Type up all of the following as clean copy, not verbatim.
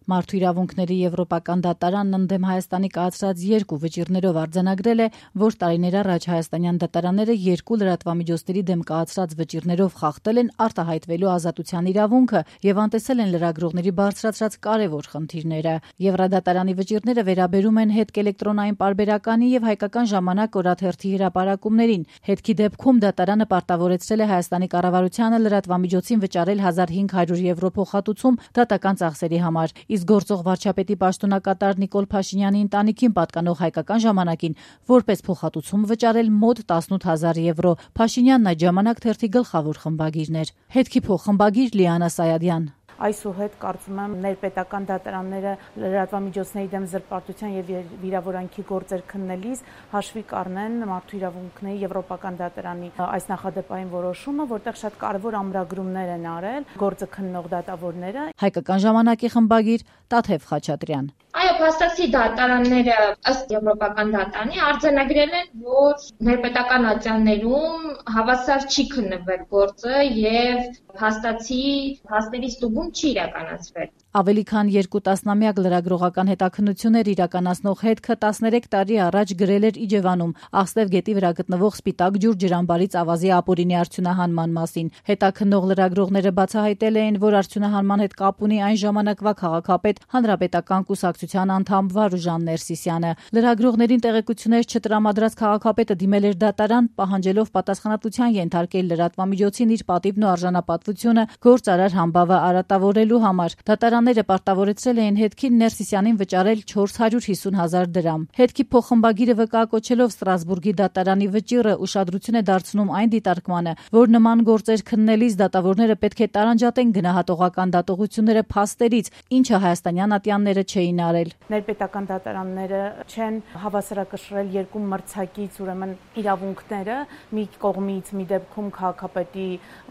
Մարդու իրավունքների եվրոպական դատարանն ընդդեմ Հայաստանի կայացրած 2 վճիռներով արձանագրել է, որ տարիներ առաջ հայաստանյան դատարանները 2 լրատվամիջոցների դեմ կայացրած վճիռներով խախտել են արտահայտվելու ազատության իրավունքը եւ անտեսել են լրագրողների բարձրացրած կարեւոր խնդիրները։ Եվրադատարանի վճիռները վերաբերում են հետք էլեկտրոնային պարբերականի եւ Հայկական ժամանակ օրաթերթի հրապարակումներին։ Հետքի դեպքում դատարանը պարտավորեցրել է Հայաստանի կառավարությանը լրատվամիջոցին վճարել 1500 եվրո փոխհատուցում դատական ծախսերի համար, իսկ գործող վարչապետի պաշտոնակատար Նիկոլ Փաշինյանի ընտանիքին պատկանող Հայկական ժամանակին որպես փոխհատուցում վճարել մոտ 18000 եվրո։ Փաշինյանն այդ ժամանակ թերթի գլխավոր խմբագիրն էր։ Հետքի փոխխմբագիր Լիանա Սայադյան. Այսուհետ կարծում եմ ներպետական դատարանները լրատվամիջոցների դեմ զրպարտության եւ վիրավորանքի գործեր քննելիս հաշվի կառնեն մարդու իրավունքների եվրոպական դատարանի այս նախադեպային որոշումը, որտեղ շատ կարևոր ամրագրումներ են արել գործը քննող դատավորները։ Հայկական ժամանակի խմբագիր Տաթև Խաչատրյան. Այո, փաստացի դատարանները ըստ եվրոպական դատարանի արձանագրել են, որ ներպետական ատյաններում հավասար չի քննվել գործը եւ փաստացի փաստերի ստուգում չի իրականացվել։ Ավելի քան 2 տասնամյակ լրագրողական հետաքննություններ իրականացնող հետքը 13 տարի առաջ գրել էր Իջևանում Աղստև գետի վրա գտնվող Սպիտակ ջուր ջրամբարից ավազի ապօրինի արդյունահանման մասին։ Հետաքննող լրագրողները բացահայտել էին, որ արդյունահանման հետ կապ ունի այն ժամանակվա քաղաքապետ Հանրապետական կուսակցության անդամ Վարուժան Ներսիսյանը։ Լրագրողներին տեղեկություններ չտրամադրած քաղաքապետը դիմել էր դատարան, պահանջելով պատասխանատվության ենթարկել լրատվամիջոցին իր պատիվն ու արժանապատվությունը գործարար համբավը արատավորելու համար։ Դատարանները պարտավորեցրել էին հետքին Ներսիսյանին վճարել 450,000 դրամ։ Հետքի փոխխմբագիրը վկայակոչելով Ստրասբուրգի դատարանի վճիռը ուշադրություն է դարձնում այն դիտարկմանը, որ նման գործեր քննելիս դատավորները պետք է տարանջատեն գնահատողական դատողությունները փաստերից, ինչը հայաստանյան ատյանները չէին արել։ Ներպետական դատարանները չեն հավասարակշռել 2 մրցակից ուրեմն իրավունքները, մի կողմից մի դեպքում քաղաքապետի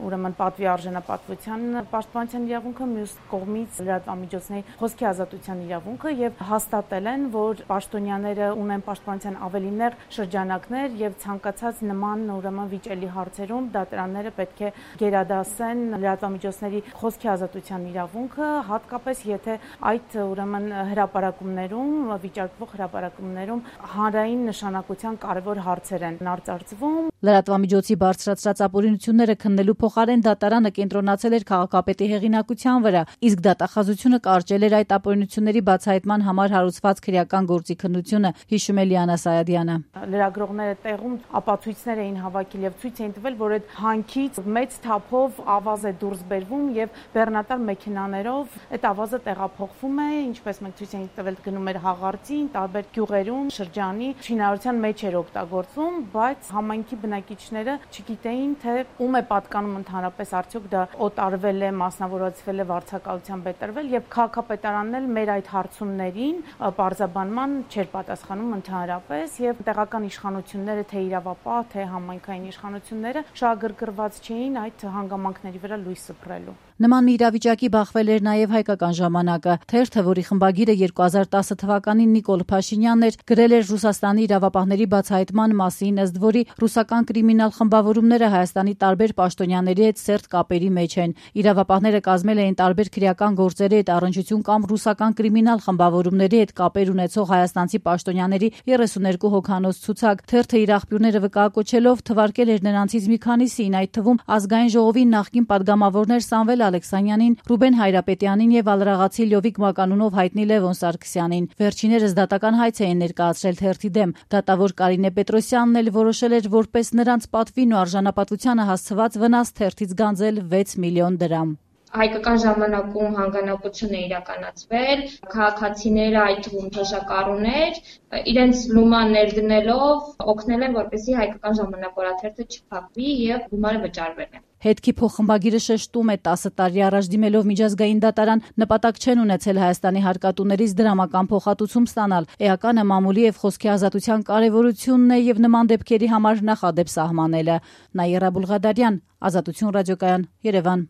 ուրեմն պատվի արժանապատվության պաշտպանության իրավունքը, մյուս կողմից լրատվամիջոցների խոսքի ազատության իրավունքը եւ հաստատել են, որ պաշտոնյաները ունեն պաշտպանության ավելի նեղ շրջանակներ եւ ցանկացած նման ուրեմն վիճելի հարցերում դատարանները պետք է գերադասեն լրատվամիջոցների խոսքի ազատության իրավունքը, հատկապես եթե այդ ուրեմն հրապարակումներում, վիճարկվող հրապարակումներում հանրային նշանակության կարևոր հարցեր են արծարծվում։ Լրատվամիջոցի բարձրացրած ապօրինությունները քննելու փոխարեն դատարանը կենտրոնացել էր քաղաքապետի հեղինակության վրա, իսկ դատախազությունը կարճել էր այդ ապօրինությունների բացահայտման համար հարուցված քրեական գործի քննությունը, հիշում է Լիանա Սայադյանը։ Լրագրողները տեղում ապացույցներ էին հավաքել եւ ցույց էին տվել, որ այդ հանքից մեծ թափով ավազ է դուրս բերվում եւ բեռնատար մեքենաներով այդ ավազը տեղափոխվում է, ինչպես մենք ցույց ենք տվել, գնում էր հաղարծին, տարբեր գյուղերում, շրջանի շինարարության մեջ էր օգտագործվում, բայց համայնքի բնակիչները չգիտեին, թե ում է պատկանում ընդհանրապես, արդյոք դա օտարվել է, մասնավորացվել է, վարձակալությամբ է տրվել եւ քաղաքապետարանն էլ մեր այդ հարցումներին պարզաբանման չէր պատասխանում ընդհանրապես եւ տեղական իշխանությունները, թե իրավապահ, թե համայնքային իշխանությունները շահագրգռված չէին այդ հանգամանքների վրա լույս սփռելու։ Նման մի իրավիճակի բախվել էր նաև Հայկական ժամանակը։ Թերթը, որի խմբագիրը 2010 թվականին Նիկոլ Փաշինյանն էր, գրել էր Ռուսաստանի իրավապահների բացահայտման մասին, ըստ որի ռուսական կրիմինալ խմբավորումները Հայաստանի տարբեր պաշտոնյաների հետ սերտ կապերի մեջ են։ Իրավապահները կազմել էին տարբեր քրեական գործերի հետ առնչություն կամ ռուսական կրիմինալ խմբավորումների հետ կապեր ունեցող հայաստանցի պաշտոնյաների 32 հոգանոց ցուցակ։ Թերթը իր աղբյուրները վկայակոչելով թվարկել էր նրանցից մի քանիսին, այդ թվում Ազգային ժողովի նախկին падգամավորներ Սամվել Ալեքսանյանին, Ռուբեն Հայրապետյանին եւ ալրաղացի Լյովիկ Մականունով հայտնի Լևոն Սարգսյանին։ Վերջիներս դատական հայց էին ներկայացրել թերթի դեմ։ Դատավոր Կարինե Պետրոսյանն էլ որոշել էր որպես նրանց պատվին ու արժանապատվությանը հասցված վնաս թերթից գանձել 6 միլիոն դրամ։ Հայկական ժամանակում հանգանակություն է իրականացվել, քաղաքացիները, այդ թվում թոշակառուներ, իրենց լումա ներդնելով օգնել են, որպեսզի Հայկական ժամանակ օրաթերթը չփակվի եւ գումարը վճարվել է։ Հետքի փոխխմբագիրը շեշտում է 10 տարի առաջ դիմելով միջազգային դատարան նպատակ չեն ունեցել Հայաստանի հարկատուներից դրամական փոխհատուցում ստանալ։ Էականը մամուլի եւ խոսքի ազատության կարեւորությունն է եւ նման դեպքերի համար նախադեպ սահմանելը։ Նաիրա Բուլղադարյան, Ազատություն ռադիոկայան, Երևան։